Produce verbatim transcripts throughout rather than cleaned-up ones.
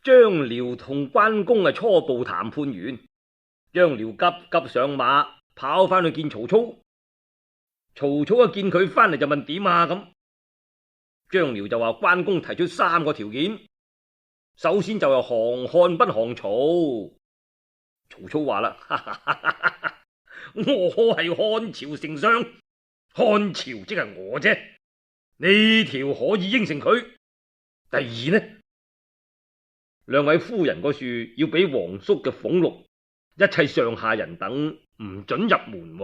張遼同關公啊初步談判完，張遼急急上馬跑翻去見曹操。曹操一見佢翻嚟就問點啊咁，張遼就話關公提出三個條件，首先就係降漢不降曹。曹操話啦，我係漢朝丞相，漢朝即係我啫，呢條可以應承佢。第二呢，兩位夫人個樹要俾皇叔嘅俸祿，一切上下人等唔准入門。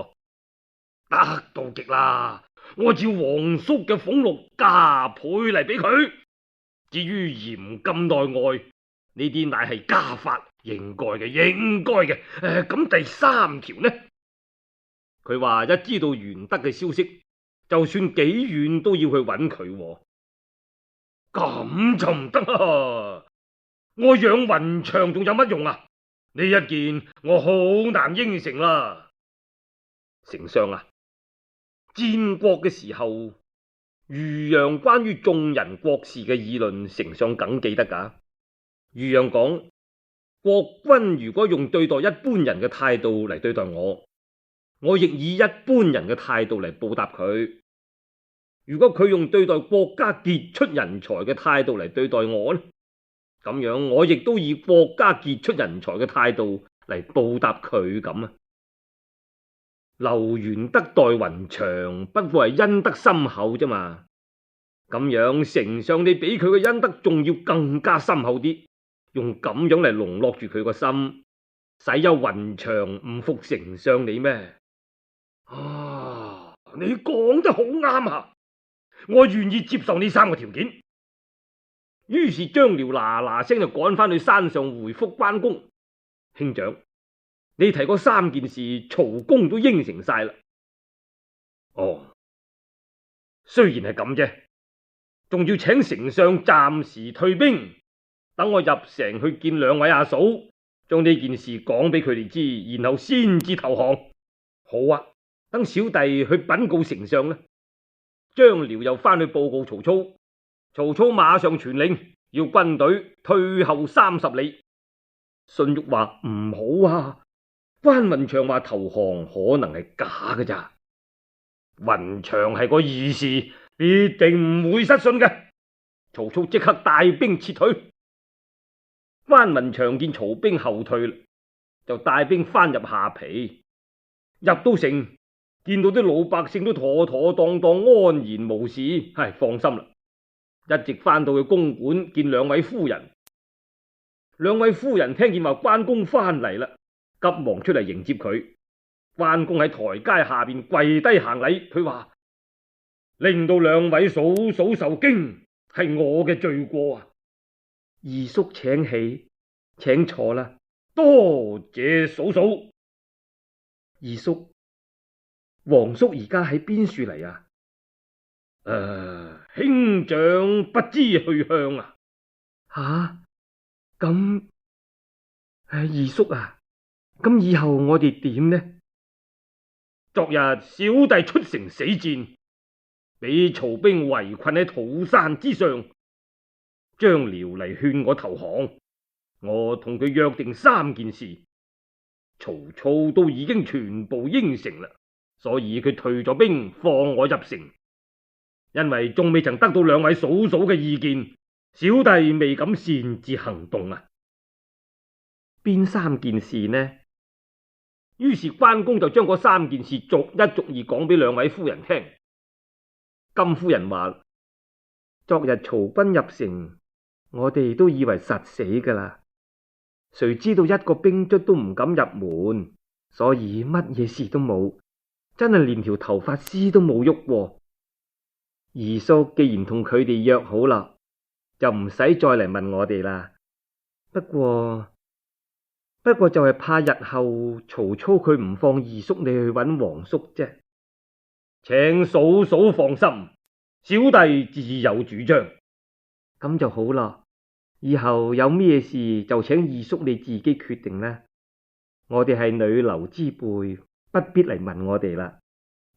得到極啦，我照皇叔嘅俸祿加倍嚟俾佢。至於嚴禁內外，呢啲乃係家法，應該嘅，應該嘅。誒，咁第三條呢？佢話一知道玄德嘅消息，就算幾遠都要去揾佢。咁就唔得啦！我養雲長仲有乜用啊？呢一件我好難應承啦。丞相啊，戰國嘅時候，豫讓關於眾人國事嘅議論，丞相梗記得噶。豫讓講，國君如果用對待一般人嘅態度嚟對待我，我亦以一般人嘅態度嚟報答佢。如果佢用對待國家傑出人才嘅態度嚟對待我呢，咁樣我亦都以國家傑出人才嘅態度嚟報答佢咁啊。劉玄德待雲長不過係恩德深厚啫嘛，咁樣丞相你比佢嘅恩德仲要更加深厚啲，用咁樣嚟籠絡住佢個心，使有雲長唔服丞相你咩？啊，你講得好啱啊！我願意接受呢三個條件。於是張遼嗱嗱聲就趕翻去山上回覆關公，兄長，你提嗰三件事，曹公都應承晒啦。哦，雖然係咁啫，仲要請丞相暫時退兵，等我入城去見兩位阿嫂，將呢件事講俾佢哋知，然後先至投降。好啊，等小弟去稟告丞相啦。張遼又翻去報告曹操，曹操馬上傳令，要軍隊退後三十里。荀彧話唔好啊，關雲長話投降可能係假嘅咋，雲長係個義士，必定唔會失信嘅。曹操即刻帶兵撤退。關雲長見曹兵後退，就帶兵翻入下邳，入到城，見到啲老百姓都妥妥當當安然無事，唉，放心啦。一直翻到去公館見兩位夫人，兩位夫人聽見話關公翻嚟啦，急忙出嚟迎接佢。關公喺台階下邊跪低行禮，佢話令到兩位嫂嫂受驚，係我嘅罪過啊！二叔請起，請坐啦。多謝嫂嫂。二叔，皇叔而家喺邊處嚟啊？誒、呃，兄長不知去向啊？吓，咁，二叔啊，咁以後我哋點呢？昨日小弟出城死戰，俾曹兵圍困喺土山之上，張遼嚟勸我投降，我同佢約定三件事，曹操都已經全部應承啦，所以佢退咗兵放我入城。因為仲未曾得到兩位嫂嫂嘅意見，小弟未敢擅自行動啊。邊三件事呢？於是關公就將嗰三件事逐一逐二講俾兩位夫人聽。金夫人話：昨日曹軍入城，我哋都以為實死噶啦，誰知道一個兵卒都唔敢入門，所以乜嘢事都冇，真係連條頭髮絲都冇喐過。二叔既然同佢哋約好啦，就唔使再嚟問我哋啦。不過不過就係怕日後曹操佢唔放二叔你去揾皇叔啫。請嫂嫂放心，小弟自有主張。咁就好啦，以後有咩事就請二叔你自己決定啦。我哋係女流之輩，不必嚟問我哋啦。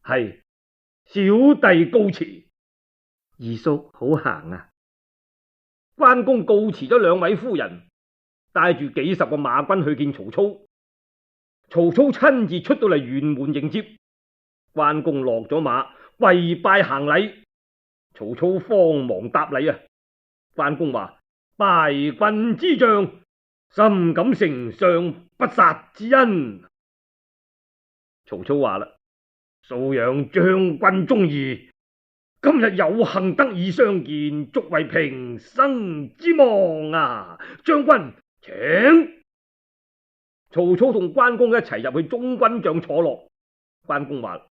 係，小弟告辭。二叔好行啊！關公告辭咗兩位夫人，帶住幾十個馬軍去見曹操。曹操親自出到嚟轅門迎接，關公落咗馬，跪拜行禮。曹操慌忙答禮啊！關公話：拜君之將，深感丞相不殺之恩。曹操話啦：素仰將軍忠義，今日有幸得以相見，足為平生之望啊！將軍請。曹操同關公一齊入去中軍帳坐落。關公話：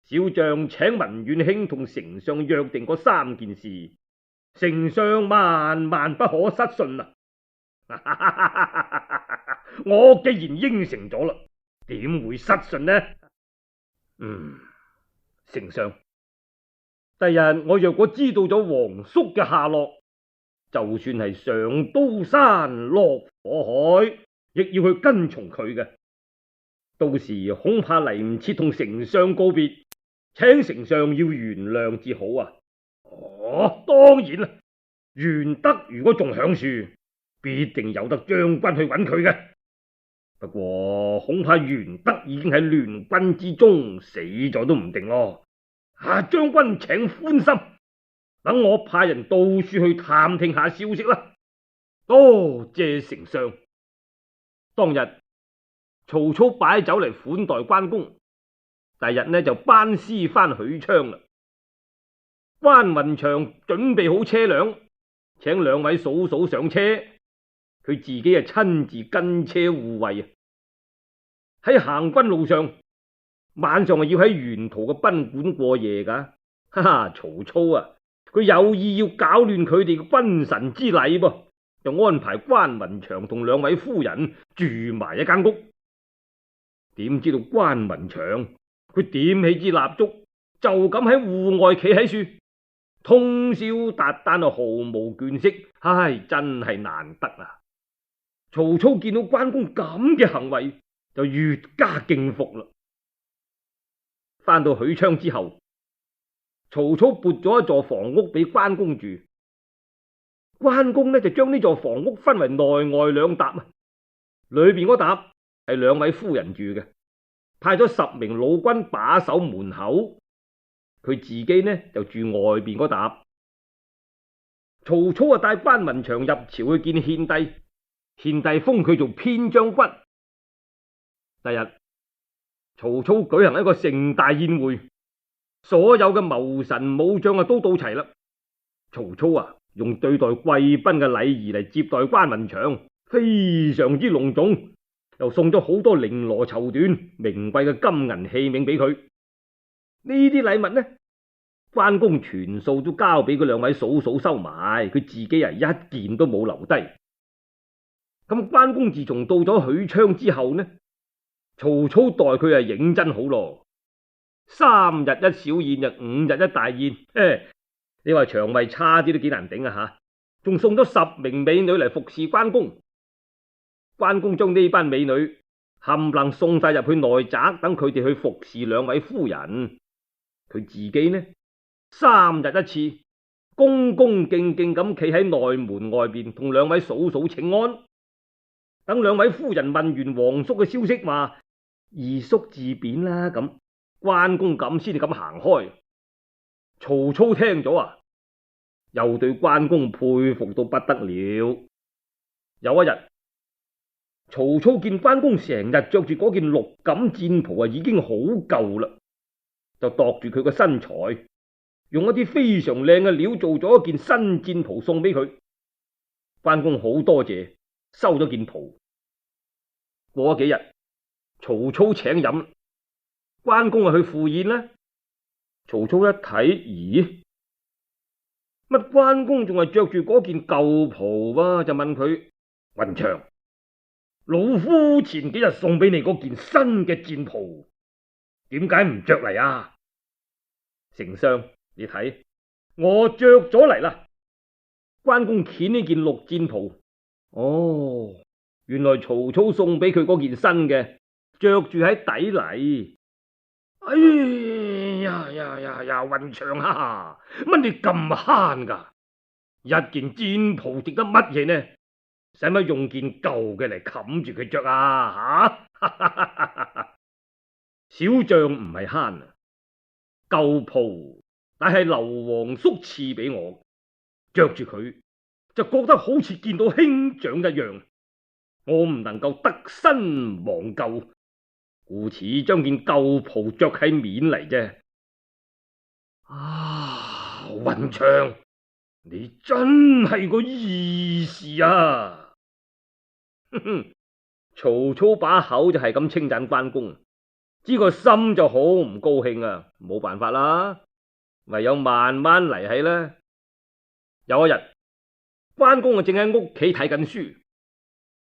小將請文遠卿同丞相約定嗰三件事，丞相萬萬不可失信啊！我既然應承咗啦，點會失信呢？嗯，丞相，第日我若果知道咗皇叔嘅下落，就算係上刀山落火海，亦要去跟從佢嘅。到時恐怕嚟唔切同丞相告別，請丞相要原諒至好啊！哦，當然啦，玄德如果仲響樹，必定有得將軍去揾佢嘅。不過恐怕玄德已經喺亂軍之中死咗都唔定咯。啊，將軍請寬心，等我派人到處去探聽下消息啦。多謝丞相。當日曹操擺酒嚟款待關公，第日呢就班師翻許昌啦。關雲長準備好車輛，請兩位嫂嫂上車，佢自己啊親自跟車護衛啊。喺行軍路上，晚上啊要喺沿途嘅賓館過夜噶。哈哈，曹操啊，佢有意要搞亂佢哋嘅君臣之禮噃，就安排關雲長同兩位夫人住埋一間屋。點知道關雲長佢點起支蠟燭，就咁喺戶外企喺樹，通宵達旦啊，毫無倦色。唉，真係難得啊！曹操見到關公咁嘅行為，就越加敬服啦。翻到許昌之後，曹操撥咗一座房屋俾關公住。關公呢就將呢座房屋分為內外兩疊啊，裏邊嗰疊係兩位夫人住嘅，派咗十名老軍把守門口，佢自己呢就住外邊嗰疊。曹操啊帶關雲長入朝去見獻帝，獻帝封佢做偏將軍。第日曹操舉行一個盛大宴會，所有嘅謀臣武將啊都到齊啦。曹操啊用對待貴賓嘅禮儀嚟接待關雲長，非常之隆重，又送咗好多綾羅綢緞、名貴嘅金銀器皿俾佢。呢啲禮物呢，關公全數都交俾佢兩位嫂嫂收埋，佢自己啊一件都冇留低。咁關公自從到咗許昌之後呢，曹操待佢係認真好咯，三日一小宴就五日一大宴。誒，你話腸胃差啲都幾難頂啊吓！仲送咗十名美女嚟服侍關公。關公將呢班美女冚唪唥送晒入去內宅，等佢哋去服侍兩位夫人。佢自己呢，三日一次，恭恭敬敬咁企喺內門外邊，同兩位嫂嫂請安。等兩位夫人問完皇叔嘅消息，話二叔自貶啦，咁關公咁先至咁行開。曹操聽咗啊，又對關公佩服到不得了。有一日，曹操見關公成日着住嗰件綠錦戰袍啊，已經好舊啦，就度住佢個身材，用一啲非常靚嘅料做咗一件新戰袍送俾佢。關公好多謝，收咗件袍。過咗幾日，曹操請飲，關公啊去赴宴啦。曹操一睇，咦，乜關公仲係着住嗰件舊袍啊？就問佢：雲長，老夫前幾日送俾你嗰件新嘅戰袍，點解唔着嚟啊？丞相，你睇，我着咗嚟啦。關公掀呢件綠戰袍，哦，原來曹操送俾佢嗰件新嘅，着住喺底嚟。哎呀呀呀呀！雲長啊，乜你咁慳噶？一件戰袍值得乜嘢呢？使乜用件舊嘅嚟冚住佢着啊？吓！小將唔係慳啊，舊袍乃係劉皇叔賜俾我，着住佢就覺得好似見到兄長一樣，我唔能夠得新忘舊，故此將件舊袍着喺面嚟啫。啊，雲長，你真係個義士啊！哼哼，曹操把口就係咁稱讚關公，知個心就好唔高興啊！冇辦法啦，唯有慢慢嚟起啦。有一日，關公啊正喺屋企睇緊書，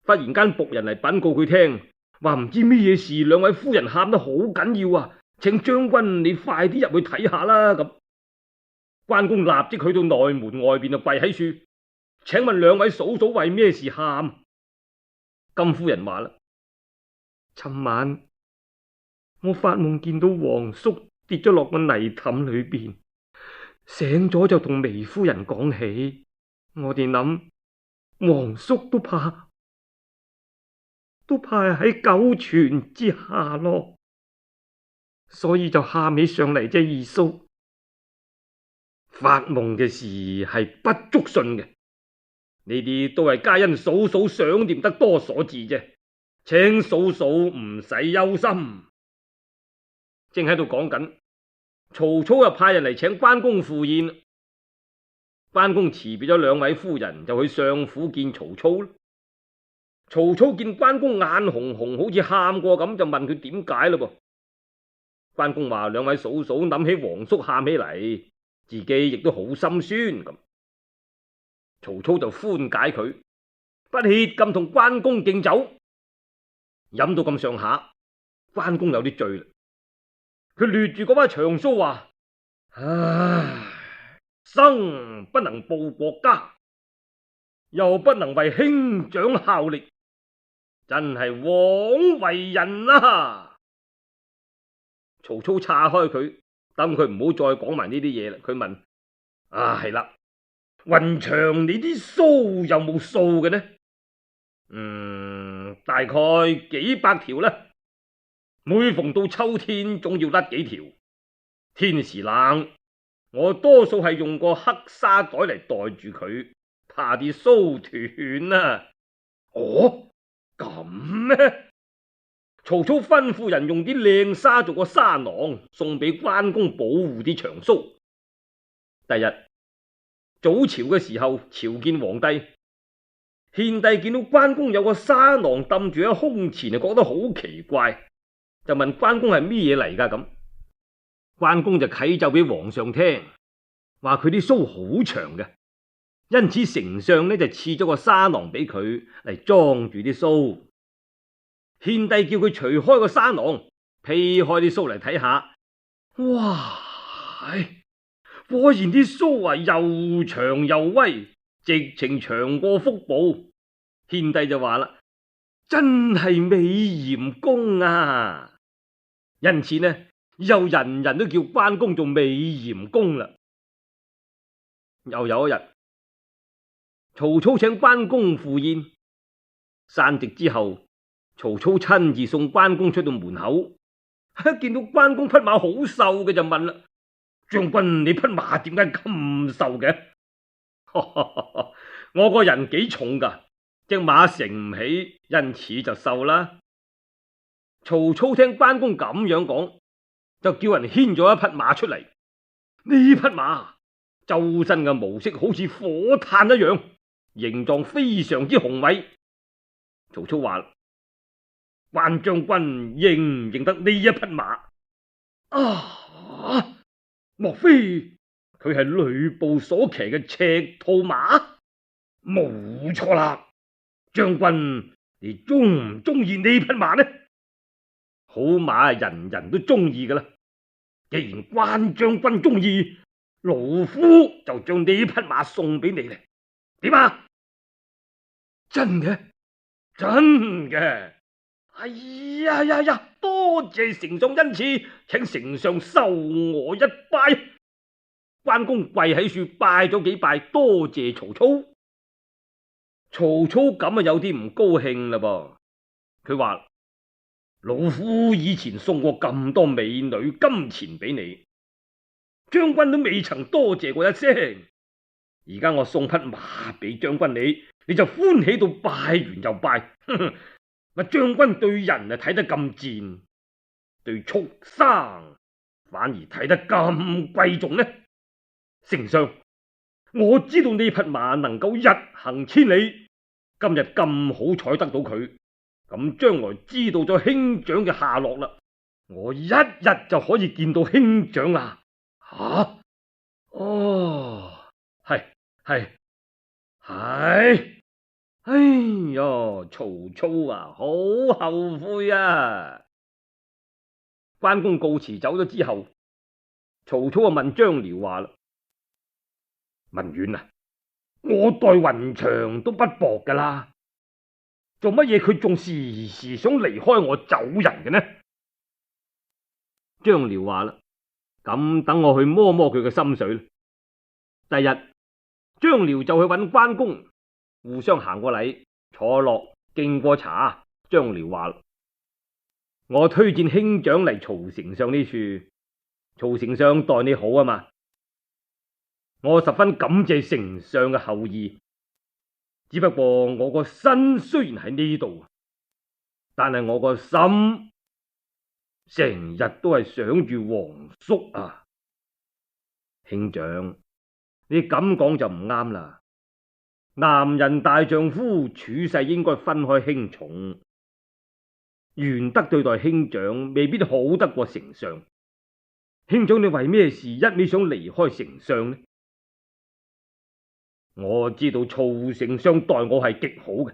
忽然間僕人嚟稟告佢聽，話唔知咩嘢事，兩位夫人喊得好緊要啊，請將軍你快啲入去睇下啦。咁關公立即去到內門外邊就跪喺樹，請問兩位嫂嫂為咩事喊？金夫人話啦：尋晚我發夢見到皇叔跌咗落個泥凼裏邊，醒咗就同微夫人講起，我哋諗皇叔都怕都怕喺九泉之下咯，所以就喊起上嚟啫。二叔，發夢嘅事係不足信嘅，呢啲都係皆因嫂嫂想念得多所致啫，請嫂嫂唔使憂心。正喺度講緊，曹操又派人嚟請關公赴宴。關公辭別咗兩位夫人，就去上府見曹操。曹操見關公眼紅紅，好似喊過咁，就問佢點解嘞噃。關公話：兩位嫂嫂諗起皇叔喊起嚟，自己亦都好心酸咁。曹操就寬解佢，不歇咁同關公敬酒，飲到咁上下，關公有啲醉啦。佢掠住嗰把長鬚話：唉，生不能報國家，又不能為兄長效力，真係枉為人啊！曹操岔開佢，等佢唔好再講埋呢啲嘢啦。佢問：啊，係啦，雲長你啲鬚有冇數嘅呢？嗯，大概幾百條啦。每逢到秋天，總要甩幾條。天時冷，我多數係用個黑紗袋嚟袋住佢，怕啲鬚斷啊。哦，咁咩？曹操吩咐人用啲靚紗做個紗囊，送俾關公保護啲長鬚。第日早朝嘅時候，朝見皇帝，獻帝見到關公有個紗囊抌住喺胸前，就覺得好奇怪，就問關公係咩嘢嚟噶？咁關公就啟奏俾皇上聽，話佢啲鬚好長嘅，因此丞相呢就賜咗個紗囊俾佢嚟裝住啲鬚。獻帝叫佢除開個紗囊，披開啲鬚嚟睇下，哇！果然啲鬚啊又長又威，直情長過腹部。獻帝就話啦：真係美閻公啊！因此呢，以後人人都叫關公做美閻公啦。又有一日，曹操請關公赴宴，散席之後，曹操親自送關公出到門口，見到關公匹馬好瘦嘅，就問啦：將軍，你匹馬點解咁瘦嘅？我個人幾重噶，隻馬承唔起，因此就瘦啦。曹操聽關公咁樣講，就叫人牽咗一匹馬出嚟。呢匹馬周身嘅毛色好似火炭一樣，形狀非常之雄偉。曹操話：關將軍認唔認得呢一匹馬？啊！莫非佢係呂布所騎嘅赤兔馬？冇錯啦！將軍，你中唔中意呢匹馬呢？好馬人人都中意噶啦，既然關將軍中意，老夫就將呢匹馬送俾你嚟，點啊？真嘅？真嘅？哎呀呀呀！多謝丞相恩賜，請丞相受我一拜。關公跪喺樹拜咗幾拜，多謝曹操。曹操咁啊有啲唔高興啦噃。佢話：老夫以前送過咁多美女金錢俾你，將軍都未曾多謝過一聲。而家我送匹馬俾將軍你，你就歡喜到拜完又拜。乜將軍對人啊睇得咁賤，對畜生反而睇得咁貴重呢？丞相，我知道呢匹馬能夠日行千里，今日咁好彩得到佢，咁將來知道咗兄長嘅下落啦，我一日就可以見到兄長啦。吓、啊？哦，係係係。哎喲，曹操啊，好後悔啊！關公告辭走咗之後，曹操啊問張遼話啦：文遠啊，我待雲長都不薄噶啦，做乜嘢佢仲時時想離開我走人嘅呢？張遼話啦：咁等我去摸摸佢嘅心水啦。第日張遼就去揾關公，互相行過禮，坐落敬過茶。張遼話：我推薦兄長嚟曹丞相呢處，曹丞相待你好啊嘛，我十分感謝丞相嘅厚意。只不過我個身雖然喺呢度，但係我個心成日都係想住皇叔啊。兄長，你咁講就唔啱啦。男人大丈夫處世應該分開輕重，玄德對待兄長未必好得過丞相。兄長你為咩事一味想離開丞相呢？我知道曹丞相待我係極好嘅，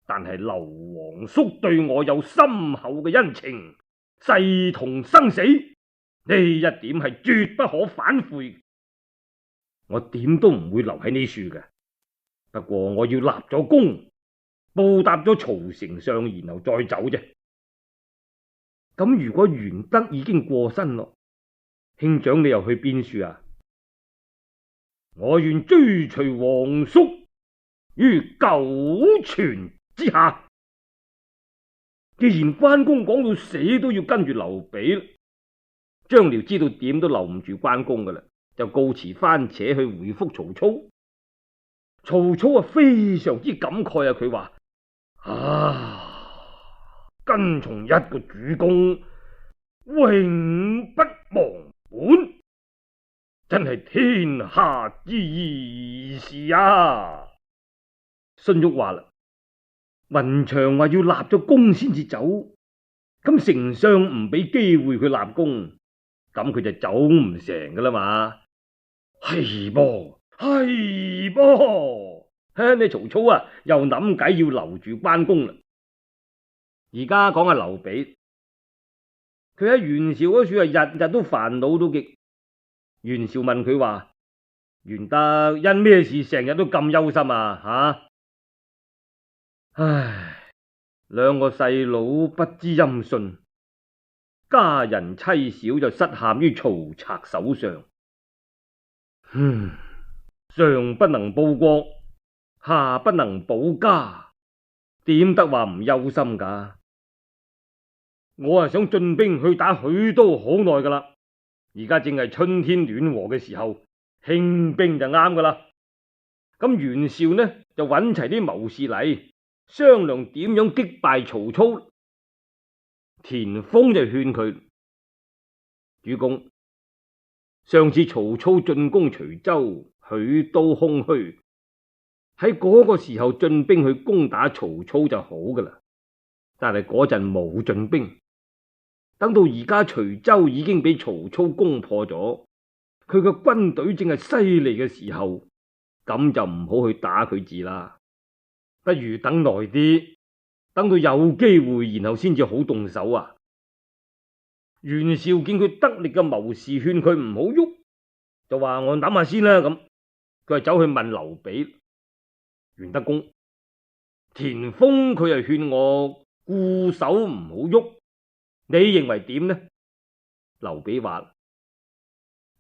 但係劉皇叔對我有深厚嘅恩情，誓同生死，呢一點係絕不可反悔。我點都唔會留喺呢處嘅。不過我要立咗功，報答咗曹丞相，然後再走啫。咁如果玄德已經過身咯，兄長你又去邊處啊？我願追隨皇叔於九泉之下。既然關公講到死都要跟住劉備，張遼知道點都留唔住關公噶啦，就告辭翻扯去回覆曹操。曹操啊非常之感慨啊，佢話：啊，跟從一個主公，永不忘本，真係天下之義事啊！荀彧話啦：雲長話要立咗功先至走，咁丞相唔俾機會佢立功，咁佢就走唔成噶啦嘛。係噃，係噃，嘿，你曹操啊又諗計要留住關公啦。而家講下劉備，佢喺袁紹嗰處啊，日日都煩惱到極。袁紹問佢話：玄德因咩事成日都咁憂心啊？吓、啊，唉，兩個細佬不知音訊，家人妻小就失陷於曹賊手上。嗯，上不能報國，下不能保家，點得話唔憂心噶？我係想進兵去打許都好耐噶啦，而家正係春天暖和嘅時候，興兵就啱噶啦。咁袁紹呢就揾齊啲謀士嚟商量點樣擊敗曹操。田豐就勸佢：主公，上次曹操進攻徐州，許都空虛，喺嗰個時候進兵去攻打曹操就好噶啦。但係嗰陣冇進兵，等到而家徐州已經俾曹操攻破咗，佢個軍隊正係犀利嘅時候，咁就唔好去打佢字啦。不如等耐啲，等到有機會，然後先至好動手啊！袁紹見佢得力嘅謀士勸佢唔好喐，就話我諗下先啦。咁佢係走去問劉備：袁德公，田豐佢係勸我固守唔好喐，你認為點呢？劉備話：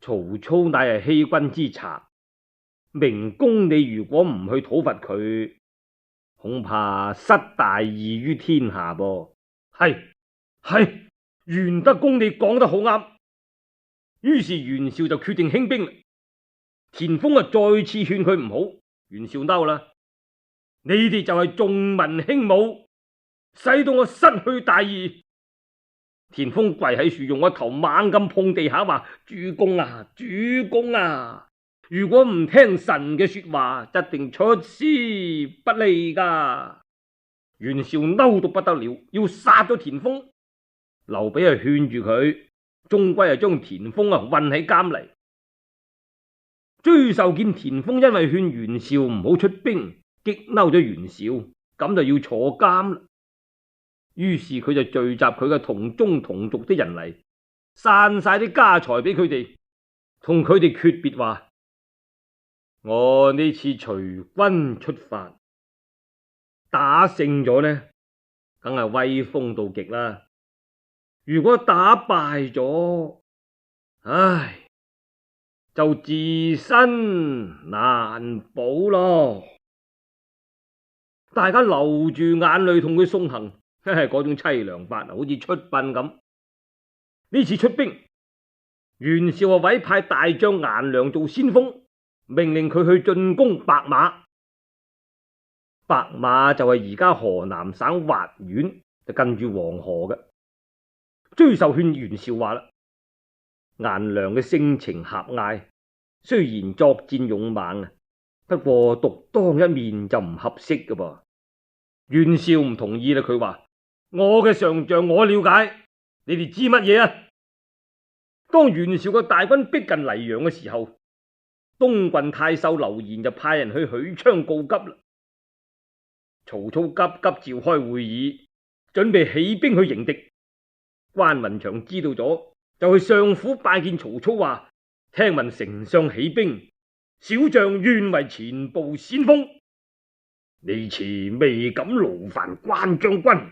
曹操乃係欺君之賊，明公你如果唔去討伐佢，恐怕失大義於天下噃。係係，玄德公你講得好啱。於是袁紹就決定興兵。田豐啊，再次勸佢唔好。袁紹嬲啦，你哋就係重文輕武，使到我失去大義。田豐跪喺樹，用個頭猛咁碰地下，話：主公啊，主公啊，如果唔聽臣嘅說話，一定出師不利噶。袁紹嬲到不得了，要殺咗田豐。劉備啊勸住佢，終歸係將田豐啊困喺監嚟。追授見田豐因為勸袁紹唔好出兵，激嬲咗袁紹，咁就要坐監啦。於是佢就聚集佢嘅同宗同族啲人嚟，散晒啲家財俾佢哋，同佢哋訣別話：我呢次隨軍出發，打勝咗呢，梗係威風到極啦。如果打敗咗，唉，就自身難保咯。大家流住眼淚同佢送行，嗰種淒涼法好似出殯咁。呢次出兵，袁紹啊委派大將顏良做先鋒，命令佢去進攻白馬。白馬就係而家河南省滑縣，就近住黃河嘅。追授勸袁紹話啦：顏良嘅性情狹隘，雖然作戰勇猛啊，不過獨當一面就唔合適㗎噃。袁紹唔同意啦，佢話：我嘅上將我了解，你哋知乜嘢啊？當袁紹嘅大軍逼近黎陽嘅時候，東郡太守劉延就派人去許昌告急啦。曹操急急召開會議，準備起兵去迎敵。關雲長知道咗，就去上府拜見曹操，話：聽聞丞相起兵，小將願為前部先鋒。呢次未敢勞煩關將軍，誒、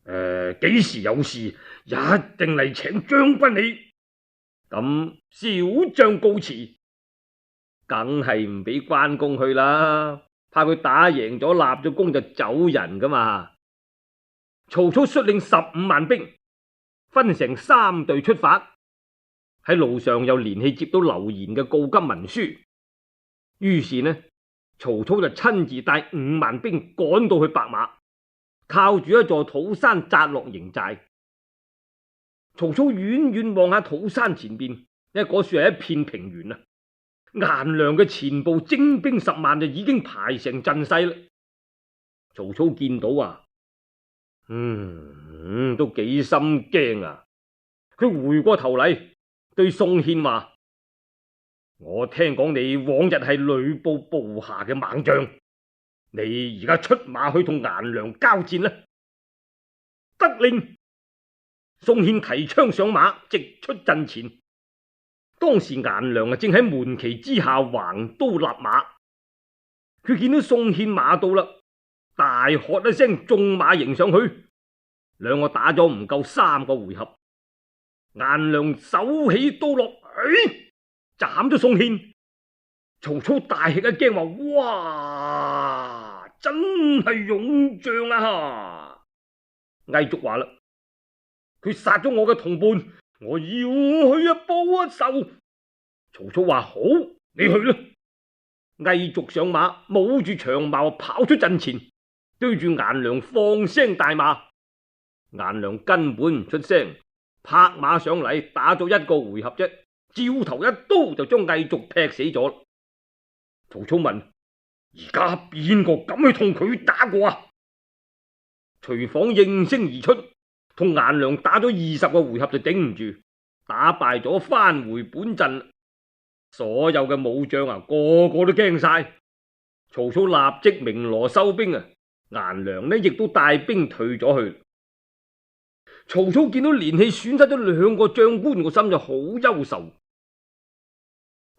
呃，幾時有事一定嚟請將軍你。咁小將告辭，梗係唔俾關公去啦，怕佢打贏咗立咗功就走人噶嘛。曹操率領十五萬兵，分成三隊出發。喺路上又連氣接到劉延嘅告急文書，於是呢，曹操就親自帶五萬兵趕到去白馬，靠住一座土山紮落營寨。曹操遠遠望下土山前邊，因為嗰處係一片平原啊。顏良嘅前部精兵十萬就已經排成陣勢啦。曹操見到啊，嗯，嗯都幾心驚啊。佢回過頭嚟對宋憲話：我聽講你往日係呂布部下嘅猛將，你而家出馬去同顏良交戰啦。得令。宋憲提槍上馬，直出陣前。當時顏良啊正喺門旗之下橫刀立馬，佢見到宋憲馬到啦，大喝一聲，縱馬迎上去。兩個打咗唔夠三個回合，顏良手起刀落，哎，斬咗宋憲。曹操大吃一驚，話：哇，真係勇將啊！魏續話啦：佢殺咗我嘅同伴，我要去啊報一仇。曹操話：好，你去啦。魏續上馬，舞住長矛跑出陣前，對住顏良放聲大罵。顏良根本唔出聲，拍馬上嚟，打咗一個回合啫，照頭一刀就將魏續劈死咗。曹操問：而家邊個敢去同佢打過啊？徐晃應聲而出，同顏良打咗二十個回合就頂唔住，打敗咗，返回本陣。所有嘅武將啊，個個都驚晒。曹操立即鳴鑼收兵啊，顏良呢亦都帶兵退咗去。曹操見到連氣損失咗兩個將官，個心就好憂愁。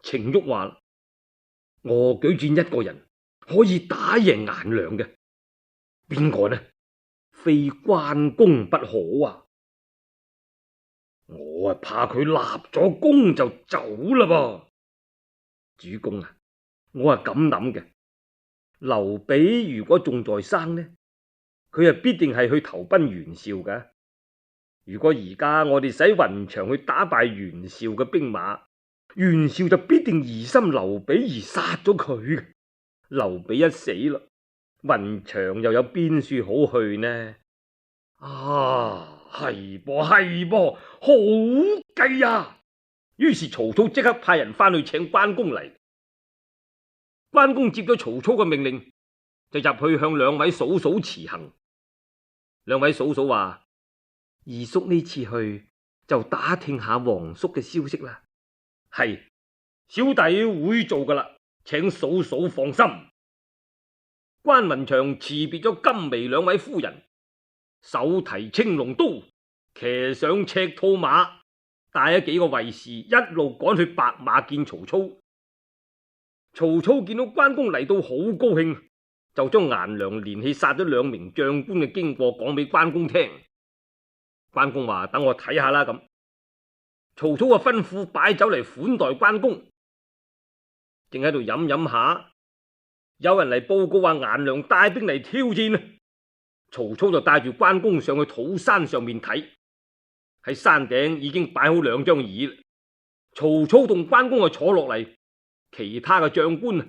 程昱話：我舉薦一個人可以打贏顏良嘅，邊個呢？非關公不可啊！我啊怕佢立咗功就走啦噃。主公啊，我係咁諗嘅，劉備如果仲在生呢，佢啊必定係去投奔袁紹噶。如果而家我哋使雲長去打敗袁紹嘅兵馬，袁紹就必定疑心劉備而殺咗佢。劉備一死啦，雲長又有邊處好去呢？啊，係噃係噃，好計啊！於是曹操即刻派人翻去請關公嚟。關公接咗曹操嘅命令，就入去向兩位嫂嫂辭行。兩位嫂嫂話：二叔呢次去就打聽下皇叔嘅消息啦。係，小弟會做噶啦，請嫂嫂放心。關雲長辭別咗金眉兩位夫人，手提青龍刀，騎上赤兔馬，帶咗幾個衛士一路趕去白馬見曹操。曹操見到關公嚟到，好高興，就將顏良連氣殺咗兩名將官嘅經過講俾關公聽。關公話：等我睇下啦。咁曹操啊吩咐擺酒嚟款待關公。正喺度飲飲下，有人嚟報告話顏良帶兵嚟挑戰。曹操就帶住關公上去土山上面睇。喺山頂已經擺好兩張椅，曹操同關公啊坐落嚟，其他嘅將官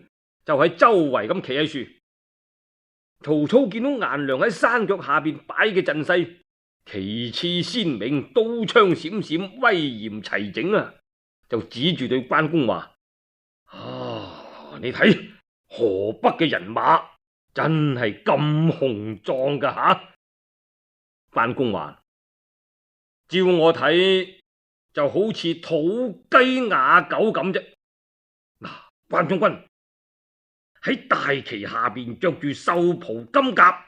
就喺周圍咁企喺樹。曹操見到顏良喺山腳下邊擺嘅陣勢，旗幟鮮明，刀槍閃閃，威嚴齊整啊！就指住對關公話：啊，你睇河北嘅人馬真係咁雄壯噶吓！關公話：照我睇就好似土雞瓦狗咁啫。嗱，關將軍喺大旗下邊着住獸袍金甲，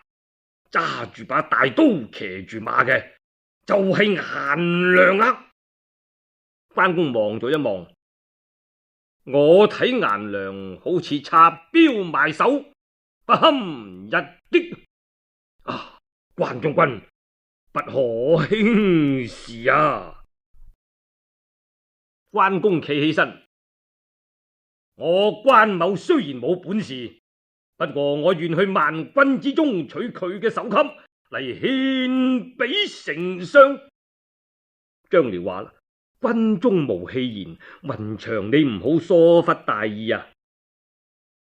揸住把大刀，騎住馬嘅就係顏良啦。關公望咗一望，我睇顏良好似插標埋手，不堪一擊啊！關將軍不可輕視啊！關公企起身，我關某雖然冇本事，不過我願去萬軍之中取佢嘅首級嚟獻俾丞相。張遼話啦：軍中無戲言，雲長你唔好疏忽大意啊！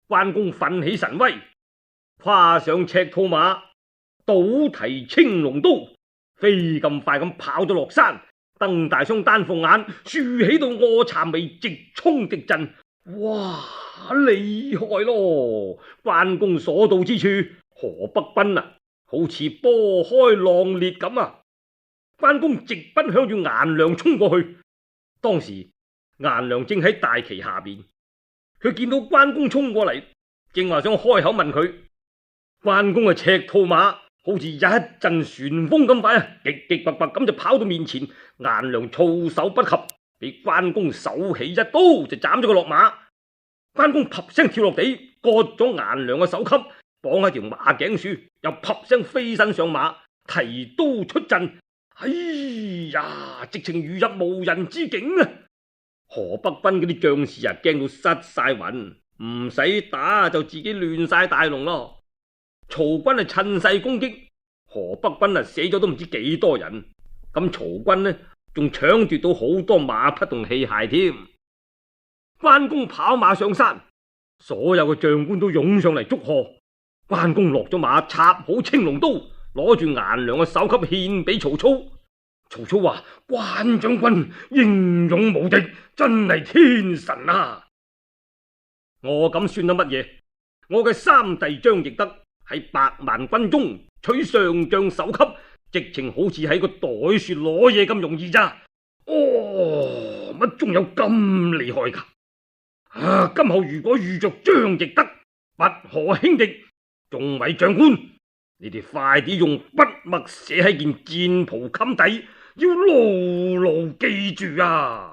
關公奮起神威，跨上赤兔馬，倒提青龍刀，飛咁快咁跑咗落山，瞪大雙丹鳳眼，豎起到臥蠶眉，直衝敵陣。哇，厲害咯！關公所到之處，河北軍啊，好似波開浪裂咁啊！關公直奔向住顏良衝過去。當時顏良正喺大旗下邊，佢見到關公衝過嚟，正話想開口問佢。關公嘅赤兔馬好似一陣旋風咁快啊，極極拔拔咁就跑到面前。顏良措手不及，俾關公手起一刀就斬咗佢落馬。關公啪聲跳落地，割咗顏良嘅首級，綁喺條馬頸處，又啪聲飛身上馬，提刀出陣。哎呀，直情如入無人之境啊！河北軍嗰啲將士啊，驚到失晒魂，唔使打就自己亂晒大龍咯。曹軍啊趁勢攻擊，河北軍啊死咗都唔知幾多人。咁曹軍呢仲搶奪到好多馬匹同器械添。關公跑馬上山，所有嘅將官都湧上嚟祝賀。關公落咗馬，插好青龍刀，攞住顏良嘅首級獻俾曹操。曹操話：關將軍英勇無敵，真係天神啊！我咁算得乜嘢？我嘅三弟張翼德喺百萬軍中取上將首級，直情好似喺個袋處攞嘢咁容易咋？哦，乜仲有咁厲害噶？啊！今後如果遇着張翼德，不可輕敵。眾位長官，你哋快啲用筆墨寫喺件戰袍襟底，要牢牢記住啊！